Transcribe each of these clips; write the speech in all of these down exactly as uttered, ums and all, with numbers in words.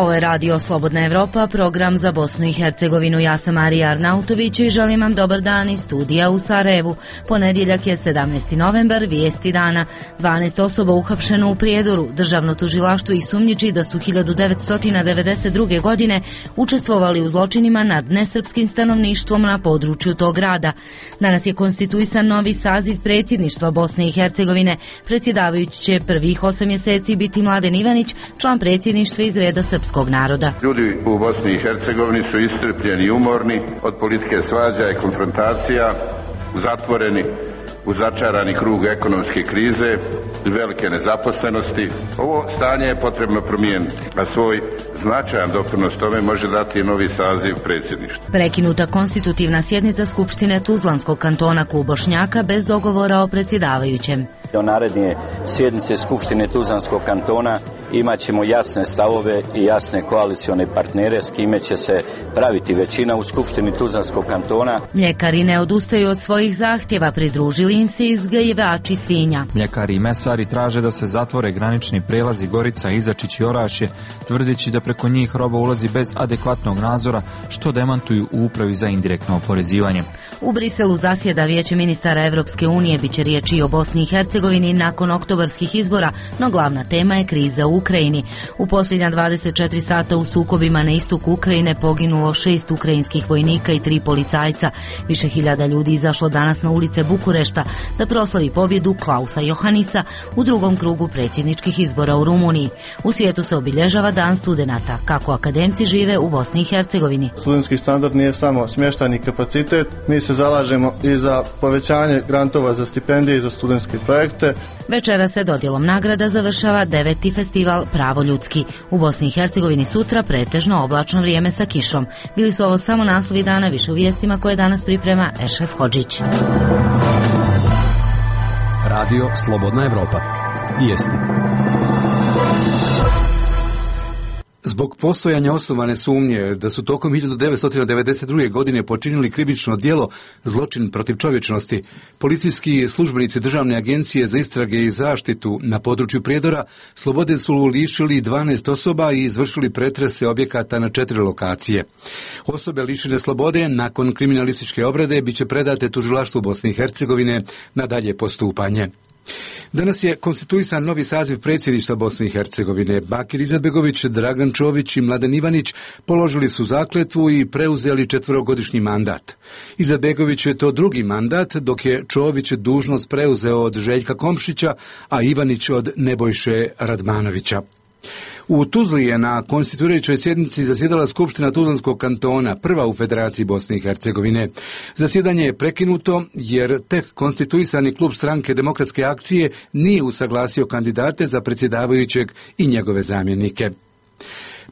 Ovo je Radio Slobodna Evropa, program za Bosnu i Hercegovinu. Ja sam Marija Arnautović i želim vam dobar dan iz studija u Sarajevu. Ponedjeljak je sedamnaesti novembar, vijesti dana. dvanaest osoba uhapšeno u Prijedoru. Državno tužilaštvo ih sumnjiči da su hiljadu devetsto devedeset druge. godine učestvovali u zločinima nad nesrpskim stanovništvom na području tog grada. Danas je konstituisan novi saziv predsjedništva Bosne i Hercegovine. Predsjedavajući će prvih osam mjeseci biti Mladen Ivanić, član predsjedništva iz reda srpskog naroda. Ljudi u Bosni i Hercegovini su iscrpljeni i umorni od politike svađa i konfrontacija, zatvoreni u začarani krug ekonomske krize i velike nezaposlenosti. Ovo stanje je potrebno promijeniti, a svoj značajan doprinos tome može dati novi saziv predsjedništva. Prekinuta konstitutivna sjednica Skupštine Tuzlanskog kantona Klub Bošnjaka bez dogovora o predsjedavajućem. Do naredne sjednice Skupštine Tuzlanskog kantona imat ćemo jasne stavove i jasne koalicione partnere s kime će se praviti većina u Skupštini Tuzlanskog kantona. Mljekari ne odustaju od svojih zahtjeva, pridružili im se uzgajivači svinja. Mljekari i mesari traže da se zatvore granični prelazi Gorica, Izačić i Orašje, tvrdeći da preko njih roba ulazi bez adekvatnog nadzora, što demantuju u upravi za indirektno oporezivanje. U Briselu zasjeda Vijeće ministara Evropske unije, biće riječi i o Bosni i Hercegovini nakon oktobarskih izbora, no glavna tema je kriza u Ukrajini. U posljednja dvadeset četiri sata u sukobima na istoku Ukrajine poginulo šest ukrajinskih vojnika i tri policajca. Više hiljada ljudi izašlo danas na ulice Bukurešta da proslavi pobjedu Klausa Johanisa u drugom krugu predsjedničkih izbora u Rumuniji. U svijetu se obilježava Dan studenata. Kako akademci žive u Bosni i Hercegovini? Studentski standard nije samo smještajni kapacitet, mi se zalažemo i za povećanje grantova za stipendije i za studentske projekte. Večera se dodjelom nagrada završava deveti festival Pravo ljudski. U Bosni i Hercegovini sutra pretežno oblačno vrijeme sa kišom. Bili su ovo samo naslovi dana, više u vijestima koje danas priprema Ešref Hodžić. Radio Slobodna Evropa. Vijesti. Zbog postojanja osnovane sumnje da su tokom hiljadu devetsto devedeset druge. godine počinili krivično djelo zločin protiv čovječnosti, policijski službenici Državne agencije za istrage i zaštitu na području Prijedora slobode su lišili dvanaest osoba i izvršili pretrese objekata na četiri lokacije. Osobe lišene slobode nakon kriminalističke obrade biće predate tužilaštvu Bosne i Hercegovine na dalje postupanje. Danas je konstituisan novi saziv predsjedništva Bosne i Hercegovine. Bakir Izetbegović, Dragan Čović i Mladen Ivanić položili su zakletvu i preuzeli četverogodišnji mandat. Izetbegović je to drugi mandat, dok je Čović dužnost preuzeo od Željka Komšića, a Ivanić od Nebojše Radmanovića. U Tuzli je na konstituirajućoj sjednici zasjedala Skupština Tuzlanskog kantona, prva u Federaciji Bosne i Hercegovine. Zasjedanje je prekinuto jer tek konstituisani klub Stranke demokratske akcije nije usaglasio kandidate za predsjedavajućeg i njegove zamjenike.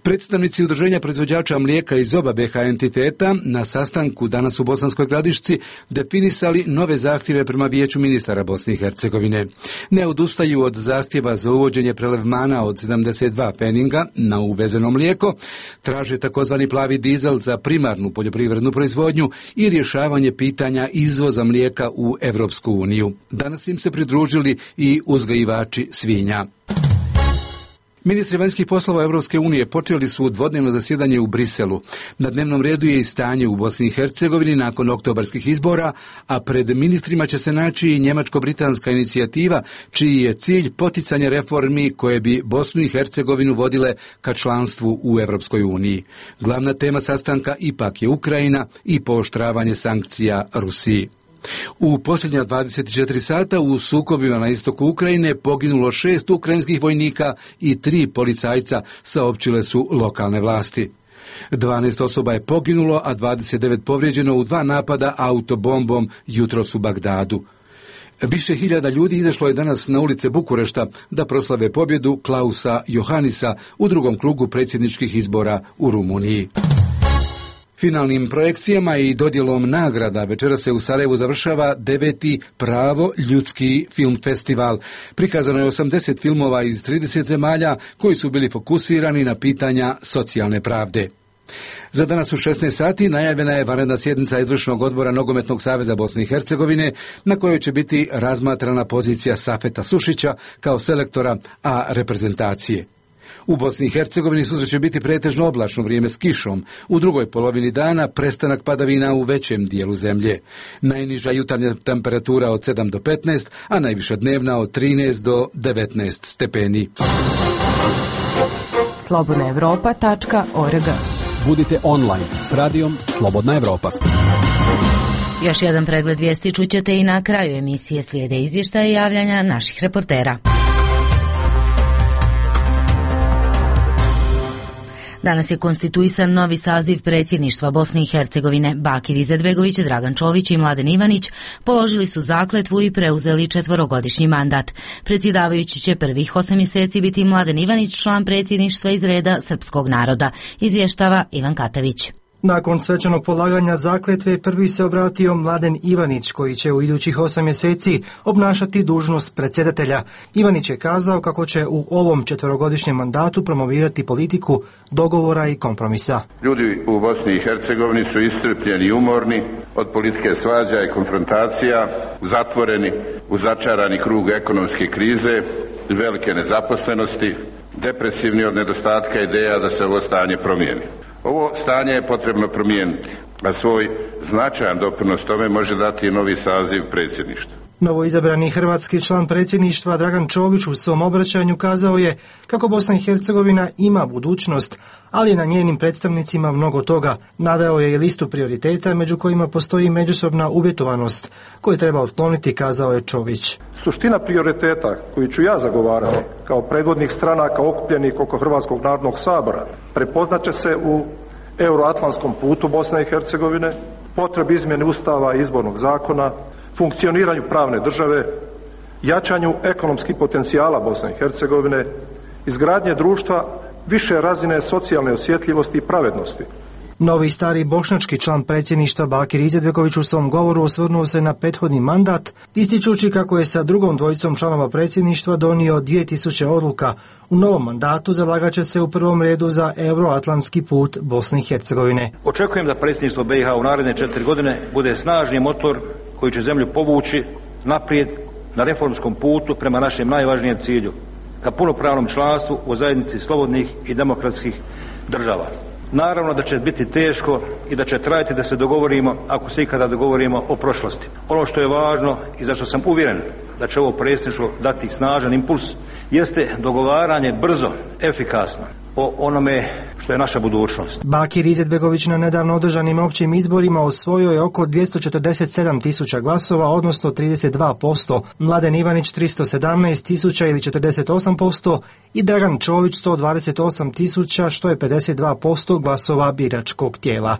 Predstavnici udruženja proizvođača mlijeka iz oba be ha entiteta na sastanku danas u Bosanskoj Gradišci definisali nove zahtjeve prema Vijeću ministara Bosne i Hercegovine. Ne odustaju od zahtjeva za uvođenje prelevmana od sedamdeset dva peninga na uvezeno mlijeko, traže takozvani plavi dizel za primarnu poljoprivrednu proizvodnju i rješavanje pitanja izvoza mlijeka u Evropsku uniju. Danas im se pridružili i uzgajivači svinja. Ministri vanjskih poslova Evropske unije počeli su dvodnevno zasjedanje u Briselu. Na dnevnom redu je i stanje u Bosni i Hercegovini nakon oktobarskih izbora, a pred ministrima će se naći i njemačko-britanska inicijativa, čiji je cilj poticanje reformi koje bi Bosnu i Hercegovinu vodile ka članstvu u Evropskoj uniji. Glavna tema sastanka ipak je Ukrajina i pooštravanje sankcija Rusiji. U posljednja dvadeset četiri sata u sukobima na istoku Ukrajine poginulo šest ukrajinskih vojnika i tri policajca, saopćile su lokalne vlasti. dvanaest osoba je poginulo, a dvadeset devet povrijeđeno u dva napada autobombom jutros u Bagdadu. Više hiljada ljudi izašlo je danas na ulice Bukurešta da proslave pobjedu Klausa Johanisa u drugom krugu predsjedničkih izbora u Rumuniji. Finalnim projekcijama i dodjelom nagrada večera se u Sarajevu završava deveti Pravo ljudski film festival. Prikazano je osamdeset filmova iz trideset zemalja koji su bili fokusirani na pitanja socijalne pravde. Za danas u šesnaest sati najavljena je vanredna sjednica izvršnog odbora Nogometnog saveza Bosne i Hercegovine, na kojoj će biti razmatrana pozicija Safeta Sušića kao selektora A reprezentacije. U Bosni i Hercegovini sutra će biti pretežno oblačno vrijeme s kišom. U drugoj polovini dana prestanak padavina u većem dijelu zemlje. Najniža jutarnja temperatura od sedam do petnaest, a najviša dnevna od trinaest do devetnaest stepeni. slobodna evropa tačka org. Budite online s radijom Slobodna Evropa. Još jedan pregled vijesti čućete i na kraju emisije, slijede izvještaje i javljanja naših reportera. Danas je konstituisan novi saziv predsjedništva Bosne i Hercegovine. Bakir Izetbegović, Dragan Čović i Mladen Ivanić položili su zakletvu i preuzeli četvorogodišnji mandat. Predsjedavajući će prvih osam mjeseci biti Mladen Ivanić, član predsjedništva iz reda srpskog naroda, izvještava Ivan Katavić. Nakon svečanog polaganja zakletve prvi se obratio Mladen Ivanić, koji će u idućih osam mjeseci obnašati dužnost predsjedatelja. Ivanić je kazao kako će u ovom četverogodišnjem mandatu promovirati politiku dogovora i kompromisa. Ljudi u Bosni i Hercegovini su iscrpljeni i umorni od politike svađa i konfrontacija, zatvoreni u začarani krug ekonomske krize, velike nezaposlenosti, depresivni od nedostatka ideja da se ovo stanje promijeni. Ovo stanje je potrebno promijeniti, a svoj značajan doprinos tome može dati i novi saziv predsjedništva. Novoizabrani hrvatski član predsjedništva Dragan Čović u svom obraćanju kazao je kako Bosna i Hercegovina ima budućnost, ali je na njenim predstavnicima mnogo toga. Naveo je i listu prioriteta među kojima postoji međusobna uvjetovanost koju treba otkloniti, kazao je Čović. Suština prioriteta koju ću ja zagovarati kao predvodnik stranaka okupljenih oko Hrvatskog narodnog sabora prepoznaće se u euroatlantskom putu Bosne i Hercegovine, potrebi izmjene Ustava i izbornog zakona, funkcioniranju pravne države, jačanju ekonomskih potencijala Bosne i Hercegovine, izgradnje društva više razine socijalne osjetljivosti i pravednosti. Novi i stari bošnjački član predsjedništva Bakir Izetbegović u svom govoru osvrnuo se na prethodni mandat, ističući kako je sa drugom dvojicom članova predsjedništva donio dvije tisuće odluka. U novom mandatu zalagat će se u prvom redu za euroatlantski put Bosne i Hercegovine. Očekujem da predsjedništvo B i H u naredne četiri godine bude snažni motor koji će zemlju povući naprijed na reformskom putu prema našem najvažnijem cilju, ka punopravnom članstvu u zajednici slobodnih i demokratskih država. Naravno da će biti teško i da će trajati da se dogovorimo, ako se ikada dogovorimo, o prošlosti. Ono što je važno i za što sam uvjeren da će ovo predsjedništvo dati snažan impuls, jeste dogovaranje brzo, efikasno o onome što je naša budućnost. Bakir Izetbegović na nedavno održanim općim izborima osvojio je oko dvjesto četrdeset sedam tisuća glasova, odnosno trideset dva posto, Mladen Ivanić tristo sedamnaest tisuća ili četrdeset osam posto i Dragan Čović sto dvadeset osam tisuća, što je pedeset dva posto glasova biračkog tijela.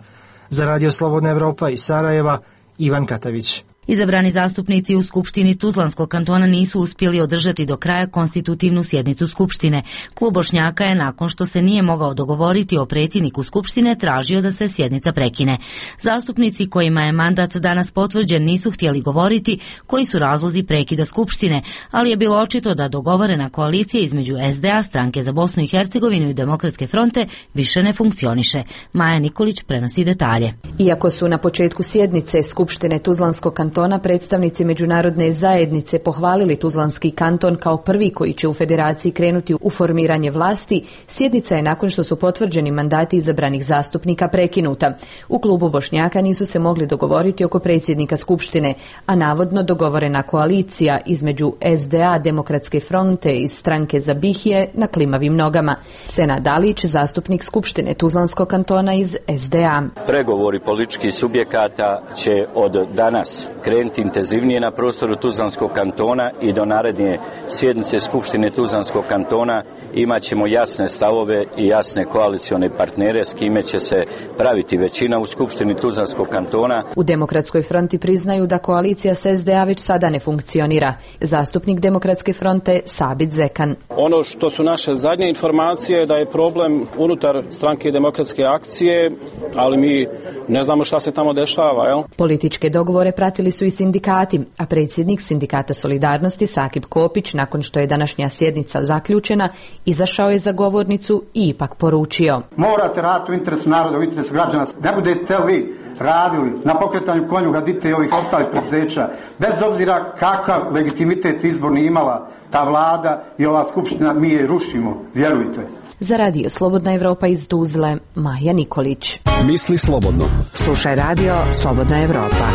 Za Radio Slobodna Evropa iz Sarajeva, Ivan Katavić. Izabrani zastupnici u Skupštini Tuzlanskog kantona nisu uspjeli održati do kraja konstitutivnu sjednicu Skupštine. Klub Bošnjaka je, nakon što se nije mogao dogovoriti o predsjedniku Skupštine, tražio da se sjednica prekine. Zastupnici kojima je mandat danas potvrđen nisu htjeli govoriti koji su razlozi prekida Skupštine, ali je bilo očito da dogovorena koalicija između S D A, Stranke za Bosnu i Hercegovinu i Demokratske fronte više ne funkcioniše. Maja Nikolić prenosi detalje. Iako su na početku sjednice Skupštine Tuzlanskog kantona predstavnici međunarodne zajednice pohvalili Tuzlanski kanton kao prvi koji će u federaciji krenuti u formiranje vlasti, sjednica je nakon što su potvrđeni mandati izabranih zastupnika prekinuta. U klubu Bošnjaka nisu se mogli dogovoriti oko predsjednika Skupštine, a navodno dogovorena koalicija između S D A, Demokratske fronte i Stranke za BiH je na klimavim nogama. Senad Dalić, zastupnik Skupštine Tuzlanskog kantona iz S D A. Pregovori političkih subjekata će od danas krenuti intenzivnije na prostoru Tuzlanskog kantona i do naredne sjednice Skupštine Tuzlanskog kantona imat ćemo jasne stavove i jasne koalicione partnere s kime će se praviti većina u Skupštini Tuzlanskog kantona. U Demokratskoj fronti priznaju da koalicija s S D A već sada ne funkcionira. Zastupnik Demokratske fronte Sabit Zekan. Ono što su naše zadnje informacije da je problem unutar Stranke demokratske akcije, ali mi ne znamo šta se tamo dešava. Jel? Političke dogovore pratili su i sindikati, a predsjednik Sindikata Solidarnosti Sakib Kopić, nakon što je današnja sjednica zaključena, izašao je za govornicu i ipak poručio: morate raditi u interesu naroda, u interesu građana. Ne budete li radili na pokretanju konjuga dite i ovih ostalih preduzeća, bez obzira kakav legitimitet izborni imala ta vlada i ova skupština, mi je rušimo, vjerujte. Za radio Slobodna Evropa iz Tuzle, Maja Nikolić. Misli slobodno. Slušaj radio Slobodna Evropa.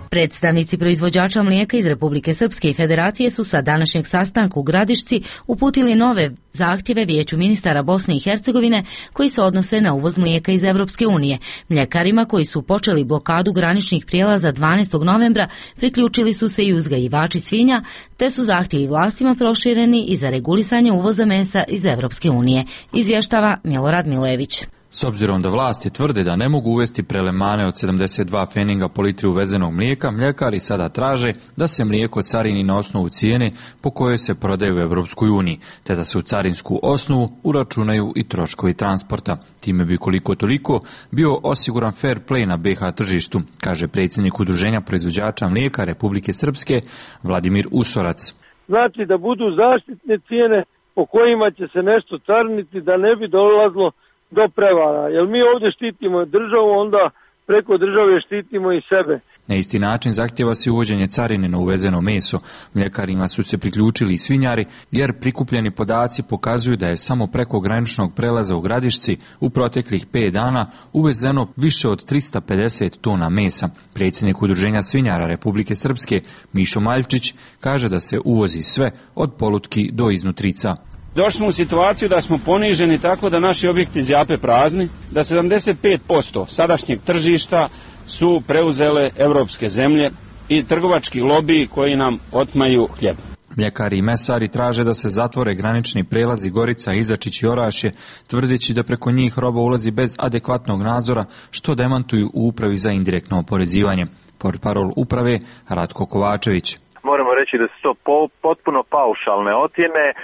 Predstavnici proizvođača mlijeka iz Republike Srpske i Federacije su sa današnjeg sastanka u Gradišci uputili nove zahtjeve Vijeću ministara Bosne i Hercegovine koji se odnose na uvoz mlijeka iz Evropske unije. Mljekarima koji su počeli blokadu graničnih prijelaza dvanaestog novembra priključili su se i uzgajivači svinja, te su zahtjevi vlastima prošireni i za regulisanje uvoza mesa iz Evropske unije, izvještava Milorad Milojević. S obzirom da vlasti tvrde da ne mogu uvesti prelemane od sedamdeset dva pfeninga po litri uvezenog mlijeka, mljekari sada traže da se mlijeko carini na osnovu cijene po kojoj se prodaje u Evropskoj uniji, te da se u carinsku osnovu uračunaju i troškovi transporta. Time bi koliko toliko bio osiguran fair play na be ha tržištu, kaže predsjednik Udruženja proizvođača mlijeka Republike Srpske Vladimir Usorac. Znači da budu zaštitne cijene po kojima će se nešto cariniti, da ne bi dolazilo do prevara, jer mi ovdje štitimo državu, onda preko države štitimo i sebe. Na isti način zahtjeva se uvođenje carine na uvezeno meso. Mljekarima su se priključili i svinjari, jer prikupljeni podaci pokazuju da je samo preko graničnog prelaza u Gradišci u proteklih pet dana uvezeno više od tristo pedeset tona mesa. Predsjednik Udruženja svinjara Republike Srpske Mišo Maljčić kaže da se uvozi sve od polutki do iznutrica. Došli smo u situaciju da smo poniženi tako da naši objekti zjape prazni, da sedamdeset pet posto sadašnjeg tržišta su preuzele evropske zemlje i trgovački lobiji koji nam otmaju hljeb. Mljekari i mesari traže da se zatvore granični prelazi Gorica, Izačić i Orašje, tvrdeći da preko njih roba ulazi bez adekvatnog nadzora, što demantuju u Upravi za indirektno oporezivanje. Portparol uprave Ratko Kovačević. Moramo reći da su to po, potpuno paušalne ocjene, e,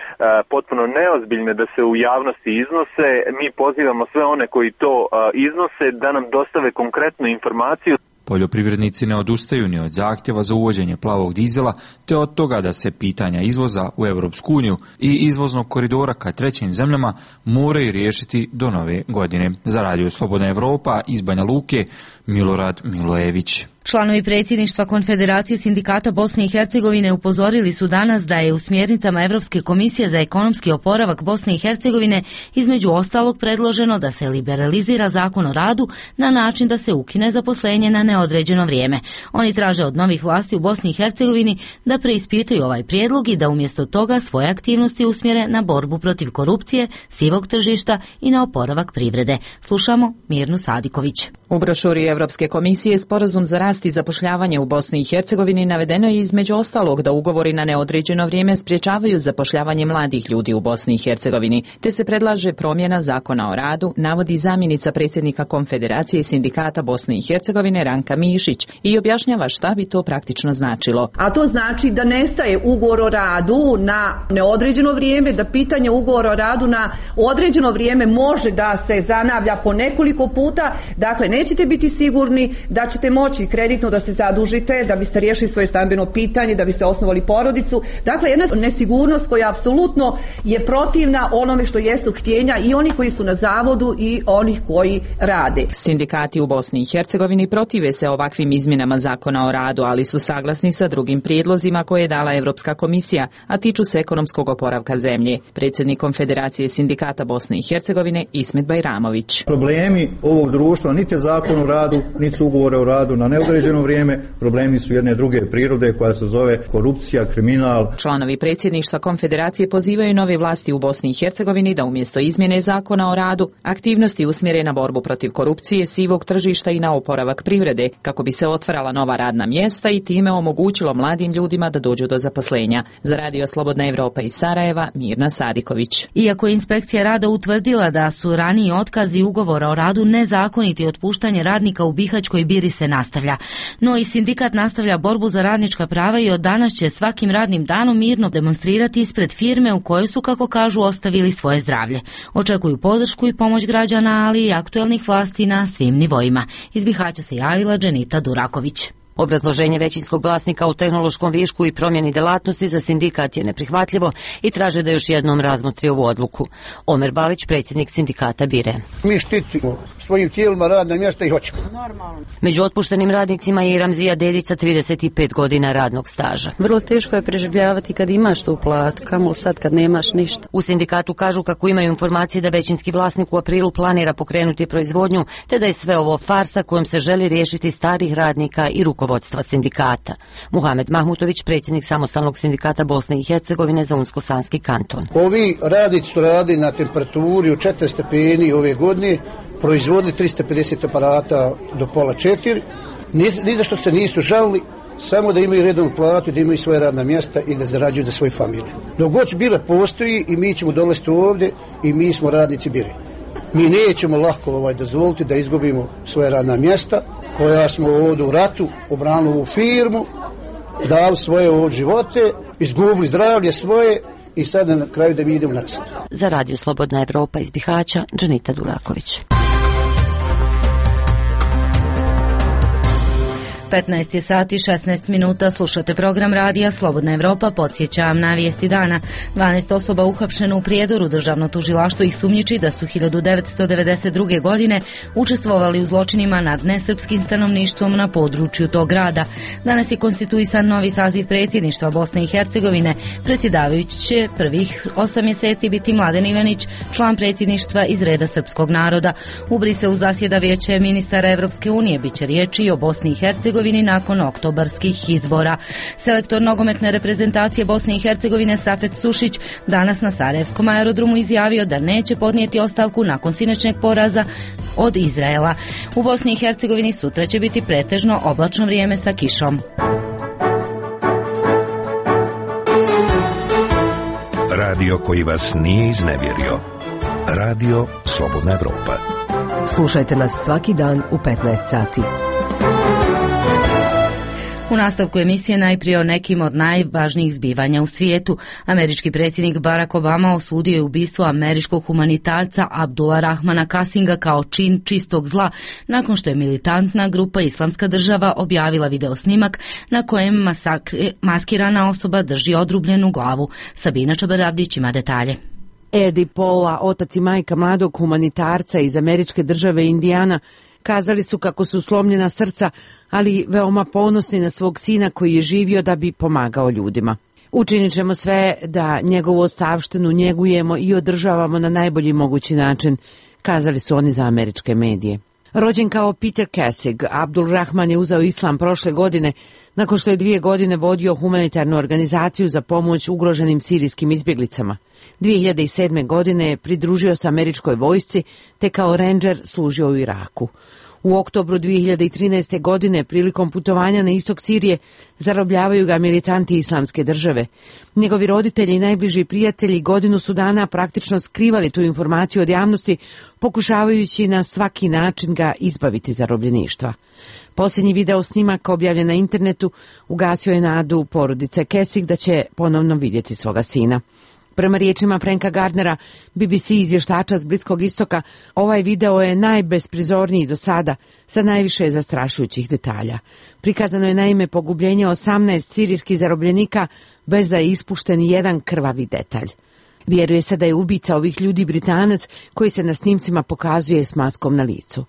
potpuno neozbiljne da se u javnosti iznose. Mi pozivamo sve one koji to e, iznose da nam dostave konkretnu informaciju. Poljoprivrednici ne odustaju ni od zahtjeva za uvođenje plavog dizela, te od toga da se pitanja izvoza u Evropsku uniju i izvoznog koridora ka trećim zemljama moraju riješiti do nove godine. Za radio Slobodna Evropa iz Banja Luke, Milorad Milojević. Članovi predsjedništva Konfederacije sindikata Bosne i Hercegovine upozorili su danas da je u smjernicama Europske komisije za ekonomski oporavak Bosne i Hercegovine između ostalog predloženo da se liberalizira zakon o radu na način da se ukine zaposlenje na neodređeno vrijeme. Oni traže od novih vlasti u Bosni i Hercegovini da preispitaju ovaj prijedlog i da umjesto toga svoje aktivnosti usmjere na borbu protiv korupcije, sivog tržišta i na oporavak privrede. Slušamo Mirnu Sadiković. U brošuri Europske komisije Sporazum za rast i zapošljavanje u Bosni i Hercegovini navedeno je između ostalog da ugovori na neodređeno vrijeme sprječavaju zapošljavanje mladih ljudi u Bosni i Hercegovini, te se predlaže promjena zakona o radu, navodi zamjenica predsjednika Konfederacije sindikata Bosne i Hercegovine Ranka Mišić i objašnjava šta bi to praktično značilo. A to znači da nestaje ugovor o radu na neodređeno vrijeme, da pitanje ugovora o radu na određeno vrijeme može da se zanavlja po nekoliko puta, dakle nećete biti sigurni da ćete moći kreditno da se zadužite, da biste riješili svoje stambeno pitanje, da biste osnovali porodicu. Dakle, jedna nesigurnost koja apsolutno je protivna onome što jesu htjenja i oni koji su na zavodu i onih koji rade. Sindikati u Bosni i Hercegovini protive se ovakvim izmjenama zakona o radu, ali su saglasni sa drugim prijedlozima koje je dala Europska komisija, a tiču se ekonomskog oporavka zemlje. Predsjednik Konfederacije sindikata Bosne i Hercegovine Ismet Bajramović. Problemi ovog društva niti je zakon o radu, niti su ugovore o radu na neodređeno vrijeme, problemi su jedne druge prirode koja se zove korupcija, kriminal. Članovi predsjedništva Konfederacije pozivaju nove vlasti u Bosni i Hercegovini da umjesto izmjene zakona o radu aktivnosti usmjere na borbu protiv korupcije, sivog tržišta i na oporavak privrede, kako bi se otvarala nova radna mjesta i time omogućilo mladim ljudima da dođu do zaposlenja. Za radio Slobodna Evropa iz Sarajeva, Mirna Sadiković. Iako je inspekcija rada utvrdila da su raniji otkazi ugovora o radu nezakoniti, otpuštanje radnika u Bihaćkoj Biri se nastavlja. No i sindikat nastavlja borbu za radnička prava i od danas će svakim radnim danom mirno demonstrirati ispred firme u kojoj su, kako kažu, ostavili svoje zdravlje. Očekuju podršku i pomoć građana, ali i aktuelnih vlasti na svim nivoima. Iz Bihaća se javila Dženita Duraković. Obrazloženje većinskog vlasnika u tehnološkom višku i promjeni delatnosti za sindikat je neprihvatljivo i traže da još jednom razmotri ovu odluku. Omer Balić, predsjednik sindikata Bire. Mi štitimo svojim tijelima radna mjesta i hoćemo. Među otpuštenim radnicima je i Ramzija Dedica, trideset pet godina radnog staža. Vrlo teško je preživljavati kad imaš tu plat, kamo sad kad nemaš ništa. U sindikatu kažu kako imaju informacije da većinski vlasnik u aprilu planira pokrenuti proizvodnju, te da je sve ovo farsa kojom se želi riješiti starih radnika i rukovodstva sindikata. Muhamed Mahmutović, predsjednik samostalnog sindikata Bosne i Hercegovine za Unsko-Sanski kanton. Ovi radnici su radili na temperaturi od četiri stepeni ove godine, proizvodili trista pedeset aparata do pola četiri, ni, ni za što se nisu žalili, samo da imaju redovnu platu, da imaju svoje radna mjesta i da zarađuju za svoju familiju. Dok god Bira postoji i mi ćemo dolaziti ovdje i mi smo radnici Bire. Mi nećemo lako ovaj, dozvoliti da izgubimo svoje radna mjesta koja smo ovdje u ratu obranili u firmu, dali svoje ovdje živote, izgubili zdravlje svoje i sada na kraju da mi idemo na crtu. Za Radio Slobodna Evropa iz Bihaća, Džanita Duraković. petnaest je sati šesnaest minuta, slušate program radija Slobodna Evropa, podsjećam na vijesti dana. dvanaest osoba uhapšeno u Prijedoru, državno tužilaštvo ih sumnjiči da su hiljadu devetsto devedeset druge. godine učestvovali u zločinima nad nesrpskim stanovništvom na području tog grada. Danas je konstituisan novi saziv predsjedništva Bosne i Hercegovine. Predsjedavajući će prvih osam mjeseci biti Mladen Ivanić, član predsjedništva iz reda srpskog naroda. U Briselu zasjeda vijeće ministara Evropske unije, biće riječi i o Bosni i Hercegovini nakon oktobarskih izbora. Selektor nogometne reprezentacije Bosne i Hercegovine Safet Sušić danas na Sarajevskom aerodromu izjavio da neće podnijeti ostavku nakon sinoćnjeg poraza od Izraela. U Bosni i Hercegovini sutra će biti pretežno oblačno vrijeme sa kišom. Radio koji vas nije iznevjerio. Radio Slobodna Evropa. Slušajte nas svaki dan u petnaest sati. U nastavku emisije najprije o nekim od najvažnijih zbivanja u svijetu. Američki predsjednik Barack Obama osudio je ubistvo američkog humanitarca Abdula Rahmana Kasinga kao čin čistog zla, nakon što je militantna grupa Islamska država objavila video snimak na kojem masakri, maskirana osoba drži odrubljenu glavu. Sabina Čabaravdić ima detalje. Eddie Paula, otac i majka mladog humanitarca iz američke države Indijana, kazali su kako su slomljena srca, ali veoma ponosni na svog sina koji je živio da bi pomagao ljudima. Učinit ćemo sve da njegovu ostavštinu njegujemo i održavamo na najbolji mogući način, kazali su oni za američke medije. Rođen kao Peter Kassig, Abdul Rahman je uzeo islam prošle godine nakon što je dvije godine vodio humanitarnu organizaciju za pomoć ugroženim sirijskim izbjeglicama. dvije hiljade sedme. godine pridružio se američkoj vojsci te kao rendžer služio u Iraku. U oktobru dvije hiljade trinaeste. godine prilikom putovanja na istok Sirije zarobljavaju ga militanti Islamske države. Njegovi roditelji i najbliži prijatelji godinu su dana praktično skrivali tu informaciju od javnosti, pokušavajući na svaki način ga izbaviti zarobljeništva. Posljednji video snimak objavljen na internetu ugasio je nadu porodice Kassig da će ponovno vidjeti svoga sina. Prema riječima Franka Gardnera, B B C izvještača s Bliskog istoka, ovaj video je najbesprizorniji do sada, sa najviše zastrašujućih detalja. Prikazano je naime pogubljenje osamnaest sirijskih zarobljenika bez da je ispušten jedan krvavi detalj. Vjeruje se da je ubica ovih ljudi Britanac koji se na snimcima pokazuje s maskom na licu.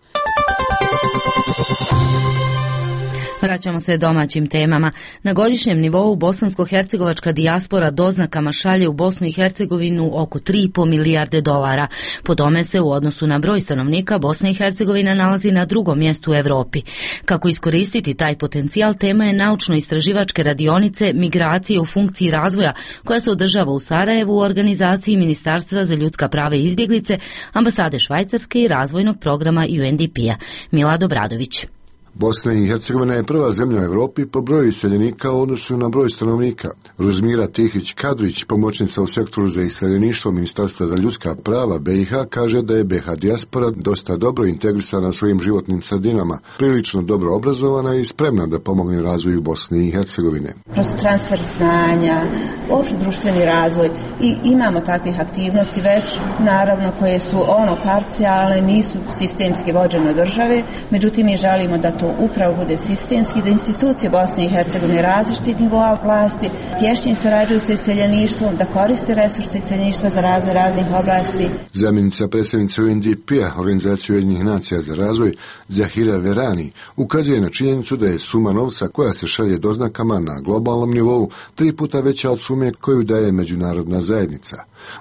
Vraćamo se domaćim temama. Na godišnjem nivou bosansko-hercegovačka dijaspora doznakama šalje u Bosnu i Hercegovinu oko tri i pol milijarde dolara. Po tome se u odnosu na broj stanovnika Bosna i Hercegovina nalazi na drugom mjestu u Europi. Kako iskoristiti taj potencijal, tema je naučno-istraživačke radionice Migracije u funkciji razvoja, koja se održava u Sarajevu u organizaciji Ministarstva za ljudska prava i izbjeglice, ambasade Švajcarske i razvojnog programa U N D P-a. Milad Obradović. Bosna i Hercegovina je prva zemlja u Europi po broju iseljenika u odnosu na broj stanovnika. Ruzmira Tihić-Kadrić, pomoćnica u sektoru za iseljeništvo Ministarstva za ljudska prava B i H, kaže da je B i H dijaspora dosta dobro integrisana svojim životnim sredinama, prilično dobro obrazovana i spremna da pomogne razvoju Bosne i Hercegovine. Kroz transfer znanja, opšte društveni razvoj i imamo takvih aktivnosti već, naravno koje su ono parcijalne, nisu sistemski vođene od države, međutim mi želimo da to upravo bude sistemski, da institucije Bosne i Hercegovine različitih nivoa vlasti tješnije surađuju sa iseljeništvom, da koriste resurse iseljeništva za razvoj raznih oblasti. Zamjenica predsjednice U N D P-a, Organizacije Ujedinjenih nacija za razvoj, Zahira Verani, ukazuje na činjenicu da je suma novca koja se šalje doznakama na globalnom nivou tri puta veća od sume koju daje međunarodna zajednica.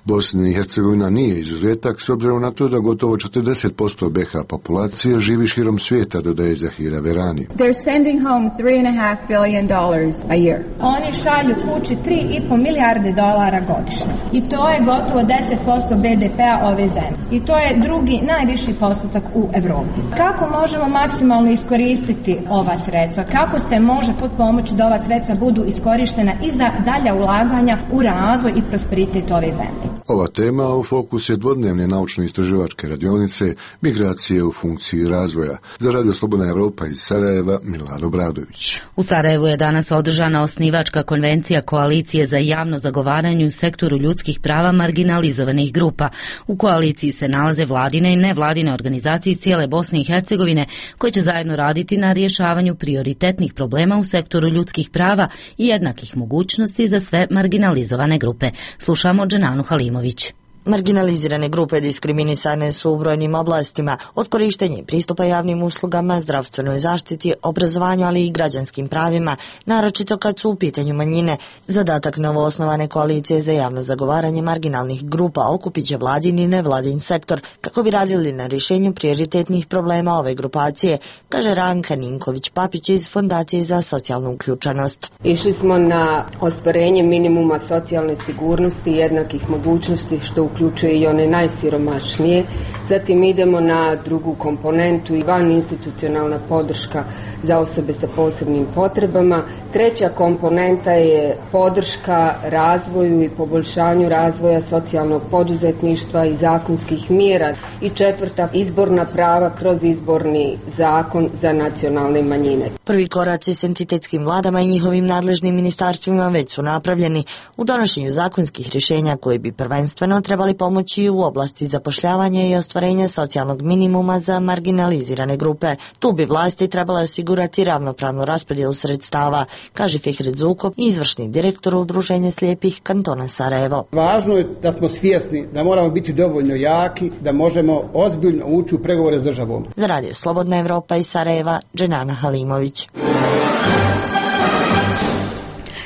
Bosna i Hercegovina nije izuzetak s obzirom na to da gotovo četrdeset posto B H populacije živi širom svijeta, dodaje Zahira Verani. They're sending home three and a half billion dollars a year. Oni šalju kući tri i po milijarde dolara godišnje. I to je gotovo deset posto B D P-a ove zemlje. I to je drugi najviši postotak u Evropi. Kako možemo maksimalno iskoristiti ova sredstva? Kako se može potpomoći da ova sredstva budu iskorištena i za dalja ulaganja u razvoj i prosperitet ove zemlje? Ova tema u fokus je dvodnevne naučno-istraživačke radionice Migracije u funkciji razvoja. Za Radio Slobodna Evropa iz Sarajeva, Milad Obradović. U Sarajevu je danas održana osnivačka konvencija Koalicije za javno zagovaranje u sektoru ljudskih prava marginalizovanih grupa. U koaliciji se nalaze vladine i nevladine organizacije iz cijele Bosne i Hercegovine koje će zajedno raditi na rješavanju prioritetnih problema u sektoru ljudskih prava i jednakih mogućnosti za sve marginalizovane grupe. Slušamo Dženanu Halimović. Marginalizirane grupe diskriminisane su u brojnim oblastima, od korištenja i pristupa javnim uslugama, zdravstvenoj zaštiti, obrazovanju, ali i građanskim pravima, naročito kad su u pitanju manjine. Zadatak novoosnovane koalicije za javno zagovaranje marginalnih grupa okupit će vladin i nevladin sektor kako bi radili na rješenju prioritetnih problema ove grupacije, kaže Ranka Ninković-Papić iz Fondacije za socijalnu uključenost. Išli smo na ostvarenje minimuma socijalne sigurnosti i jednakih mogućnosti, što uključuje i one najsiromašnije. Zatim idemo na drugu komponentu i van institucionalna podrška za osobe sa posebnim potrebama. Treća komponenta je podrška razvoju i poboljšanju razvoja socijalnog poduzetništva i zakonskih mjera. I četvrta, izborna prava kroz izborni zakon za nacionalne manjine. Prvi koraci s entitetskim vladama i njihovim nadležnim ministarstvima već su napravljeni u donošenju zakonskih rješenja koji bi prvenstveno trebali pomoći u oblasti zapošljavanja i ostvarenja socijalnog minimuma za marginalizirane grupe. Tu bi vlasti trebala osigurati ravnopravnu raspodjelu sredstava, kaže Fihret Zukov, izvršni direktor Udruženja slijepih kantona Sarajevo. Važno je da smo svjesni da moramo biti dovoljno jaki, da možemo ozbiljno ući u pregovore s državom. Za Radio Slobodna Evropa iz Sarajeva, Dženana Halimović.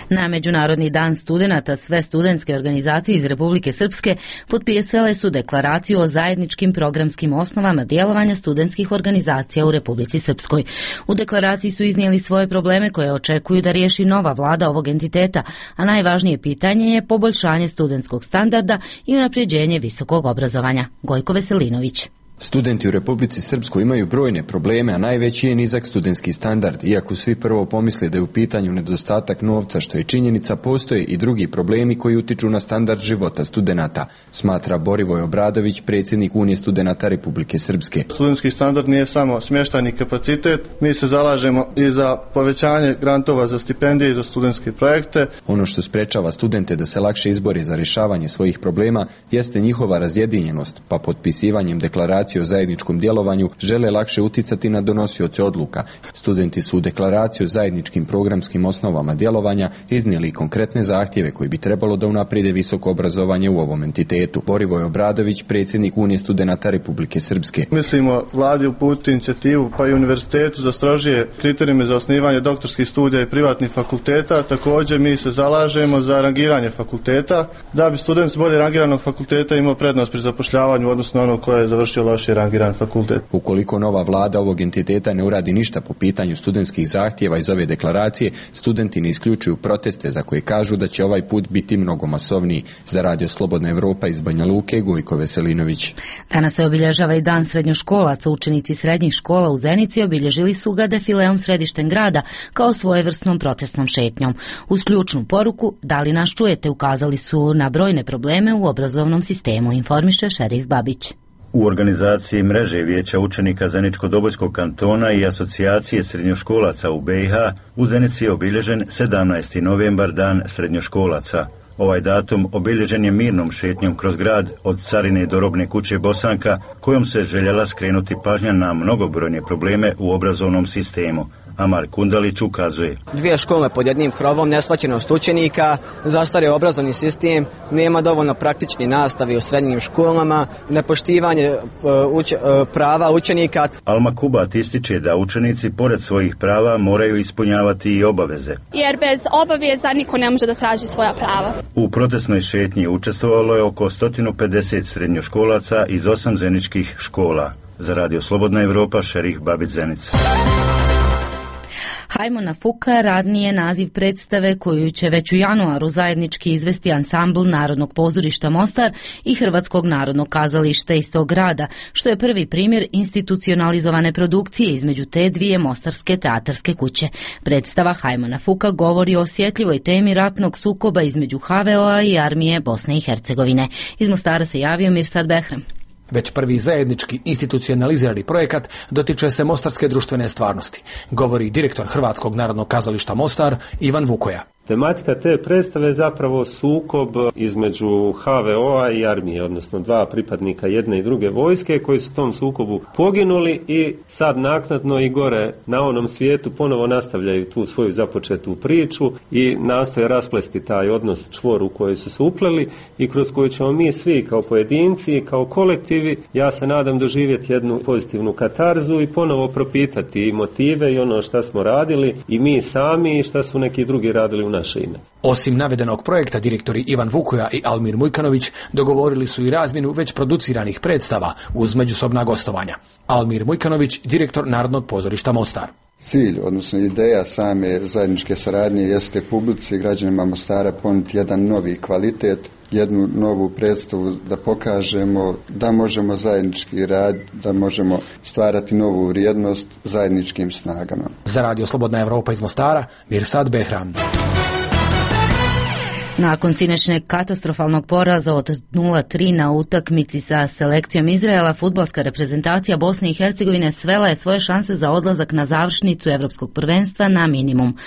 Na Međunarodni dan studenata sve studentske organizacije iz Republike Srpske potpisale su deklaraciju o zajedničkim programskim osnovama djelovanja studentskih organizacija u Republici Srpskoj. U deklaraciji su iznijeli svoje probleme koje očekuju da riješi nova vlada ovog entiteta, a najvažnije pitanje je poboljšanje studentskog standarda i unapređenje visokog obrazovanja. Gojko Veselinović. Studenti u Republici Srpskoj imaju brojne probleme, a najveći je nizak studentski standard. Iako svi prvo pomisle da je u pitanju nedostatak novca, što je činjenica, postoje i drugi problemi koji utiču na standard života studenata, smatra Borivoj Obradović, predsjednik Unije studenata Republike Srpske. Studentski standard nije samo smještajni kapacitet, mi se zalažemo i za povećanje grantova za stipendije i za studentske projekte. Ono što sprečava studente da se lakše izbore za rješavanje svojih problema jeste njihova razjedinjenost, pa potpisivanjem deklaracije o zajedničkom djelovanju žele lakše uticati na donosioce odluka. Studenti su u deklaraciju o zajedničkim programskim osnovama djelovanja iznijeli konkretne zahtjeve koji bi trebalo da unaprijede visoko obrazovanje u ovom entitetu. Borivoj Obradović, predsjednik Unije studenata Republike Srpske. Mislimo vladi uputiti inicijativu pa i univerzitetu za strožije kriterijume za osnivanje doktorskih studija i privatnih fakulteta. Također mi se zalažemo za rangiranje fakulteta, da bi student s bolje rangiranog fakulteta imao prednost pri zapošljavanju odnosno onog koje je završio lošije rangiran fakultet. Ukoliko nova vlada ovog entiteta ne uradi ništa po pitanju studentskih zahtjeva iz ove deklaracije, studenti ne isključuju proteste za koje kažu da će ovaj put biti mnogo masovniji. Za Radio Slobodna Evropa iz Banja Luke, Gojko Veselinović. Danas se obilježava i dan srednjoškolaca. Učenici srednjih škola u Zenici obilježili su ga defileom središtem grada kao svojevrsnom protestnom šetnjom. Uz ključnu poruku "Da li nas čujete?" ukazali su na brojne probleme u obrazovnom sistemu, informiše Šerif Babić. U organizaciji mreže Vijeća učenika Zeničko-Dobojskog kantona i asocijacije srednjoškolaca u B i H u Zenici je obilježen sedamnaesti novembar, dan srednjoškolaca. Ovaj datum obilježen je mirnom šetnjom kroz grad od Carine do Robne kuće Bosanka, kojom se željela skrenuti pažnja na mnogobrojne probleme u obrazovnom sistemu. Amar Kundalić ukazuje. Dvije škole pod jednim krovom, neshvaćenost učenika, zastario obrazovni sistem, nema dovoljno praktični nastavi u srednjim školama, nepoštivanje uh, uč, uh, prava učenika. Alma Kubat ističe da učenici pored svojih prava moraju ispunjavati i obaveze. Jer bez obaveza niko ne može da traži svoja prava. U protestnoj šetnji učestvovalo je oko sto pedeset srednjoškolaca iz osam zeničkih škola. Za Radio Slobodna Evropa, Šerih Babić, Zenica. Hajmo na Fuka radni je naziv predstave koju će već u januaru zajednički izvesti ansambl Narodnog pozorišta Mostar i Hrvatskog narodnog kazališta iz tog grada, što je prvi primjer institucionalizovane produkcije između te dvije mostarske teatarske kuće. Predstava Hajmo na Fuka govori o osjetljivoj temi ratnog sukoba između H V O-a i armije Bosne i Hercegovine. Iz Mostara se javio Mirsad Behram. Već prvi zajednički institucionalizirani projekat dotiče se mostarske društvene stvarnosti, govori direktor Hrvatskog narodnog kazališta Mostar Ivan Vukoja. Tematika te predstave je zapravo sukob između H V O-a i armije, odnosno dva pripadnika jedne i druge vojske koji su u tom sukobu poginuli i sad naknadno i gore na onom svijetu ponovo nastavljaju tu svoju započetu priču i nastoje rasplesti taj odnos čvor u koji su se upleli i kroz koju ćemo mi svi kao pojedinci i kao kolektivi, ja se nadam, doživjeti jednu pozitivnu katarzu i ponovo propitati i motive i ono šta smo radili i mi sami i šta su neki drugi radili u naše ime. Osim navedenog projekta, direktori Ivan Vukoja i Almir Mujkanović dogovorili su i razmjenu već produciranih predstava uz međusobna gostovanja. Almir Mujkanović, direktor Narodnog pozorišta Mostar. Cilj, odnosno ideja same zajedničke saradnje jeste publici i građanima Mostara ponuditi jedan novi kvalitet, jednu novu predstavu da pokažemo da možemo zajednički rad, da možemo stvarati novu vrijednost zajedničkim snagama. Za Radio Slobodna Evropa iz Mostara, Mirsad Behram. Nakon sinoćnjeg katastrofalnog poraza od nula tri na utakmici sa selekcijom Izraela, fudbalska reprezentacija Bosne i Hercegovine svela je svoje šanse za odlazak na završnicu Evropskog prvenstva na minimum.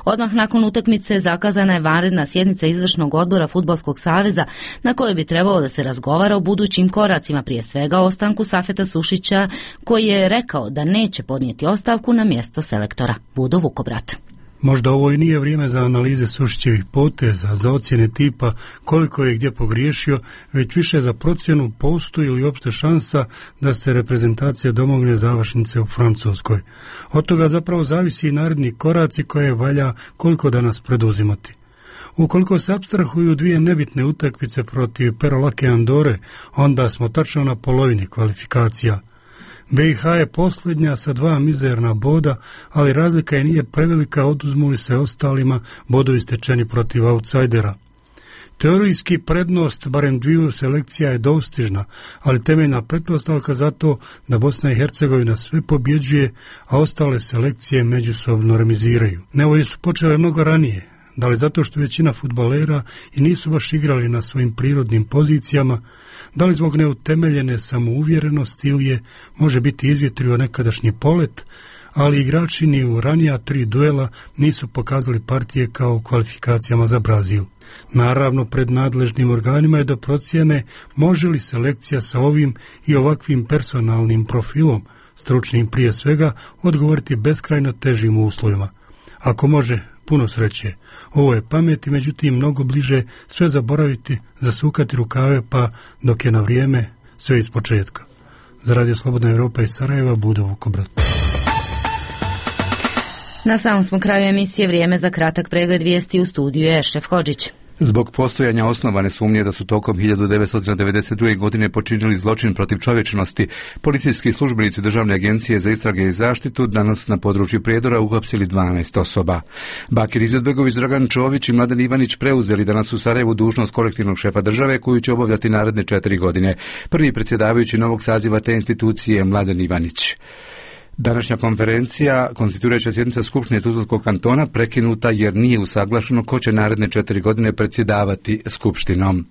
Odmah nakon utakmice zakazana je vanredna sjednica izvršnog odbora Fudbalskog saveza na kojoj bi trebalo da se razgovara o budućim koracima, prije svega o ostanku Safeta Sušića, koji je rekao da neće podnijeti ostavku na mjesto selektora. Budo Vukobrat. Možda ovo i nije vrijeme za analize Sušićevih poteza, za ocjene tipa koliko je gdje pogriješio, već više za procjenu postoji li uopšte šansa da se reprezentacija domogne završnice u Francuskoj. Od toga zapravo zavisi i naredni koraci koje valja koliko danas preduzimati. Ukoliko se apstrahuju dvije nebitne utakmice protiv Perolake Andore, onda smo tačno na polovini kvalifikacija. B i H je posljednja sa dva mizerna boda, ali razlika je nije prevelika oduzmu li se ostalima bodovi stečeni protiv outsidera. Teorijski prednost barem dviju selekcija je dostižna, ali temeljna pretpostavka za to da Bosna i Hercegovina sve pobjeđuje, a ostale selekcije međusobno remiziraju. Nevolje su počele mnogo ranije, da li zato što većina fudbalera i nisu baš igrali na svojim prirodnim pozicijama, da li zbog neutemeljene samouvjerenosti ili je može biti izvjetrio nekadašnji polet, ali igrači ni u ranija tri duela nisu pokazali partije kao u kvalifikacijama za Brazil. Naravno, pred nadležnim organima je da procijene može li selekcija sa ovim i ovakvim personalnim profilom, stručnim prije svega, odgovoriti beskrajno težim uslovima. Ako može, puno sreće. Ovo je pameti, međutim mnogo bliže sve zaboraviti, zasukati rukave pa dok je na vrijeme sve iz početka. Za Radio Slobodna Evropa iz Sarajeva, Budo Vukobrat. Na samom smo kraju emisije, vrijeme za kratak pregled vijesti. U studiju je Ešref Hodžić. Zbog postojanja osnovane sumnje da su tokom hiljadu devetsto devedeset druge. godine počinili zločin protiv čovječnosti, policijski službenici Državne agencije za istrage i zaštitu danas na području Prijedora uhapsili dvanaest osoba. Bakir Izetbegović, Dragan Čović i Mladen Ivanić preuzeli danas u Sarajevu dužnost kolektivnog šefa države koju će obavljati naredne četiri godine. Prvi predsjedavajući novog saziva te institucije je Mladen Ivanić. Današnja konferencija, konstituirajuća sjednica Skupštine Tuzlanskog kantona, prekinuta jer nije usaglašeno ko će naredne četiri godine predsjedavati Skupštinom.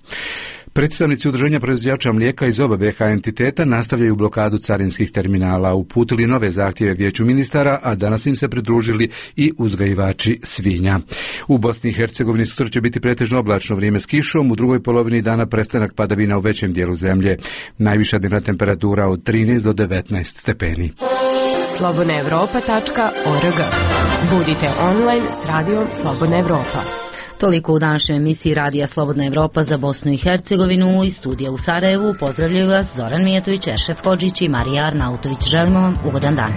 Predstavnici udruženja proizvođača mlijeka iz oba B H entiteta nastavljaju blokadu carinskih terminala, uputili nove zahtjeve vijeću ministara, a danas im se pridružili i uzgajivači svinja. U Bosni i Hercegovini sutra će biti pretežno oblačno vrijeme s kišom, u drugoj polovini dana prestanak padavina u većem dijelu zemlje. Najviša dnevna temperatura od trinaest do devetnaest stepeni. slobodna europa tačka org. Budite online s radijom Slobodna Evropa. Toliko u današnjoj emisiji Radija Slobodna Evropa za Bosnu i Hercegovinu. Iz studija u Sarajevu pozdravljaju vas Zoran Mijatović, Ešef Hodžić i Marija Arnautović. Želimo vam ugodan dan.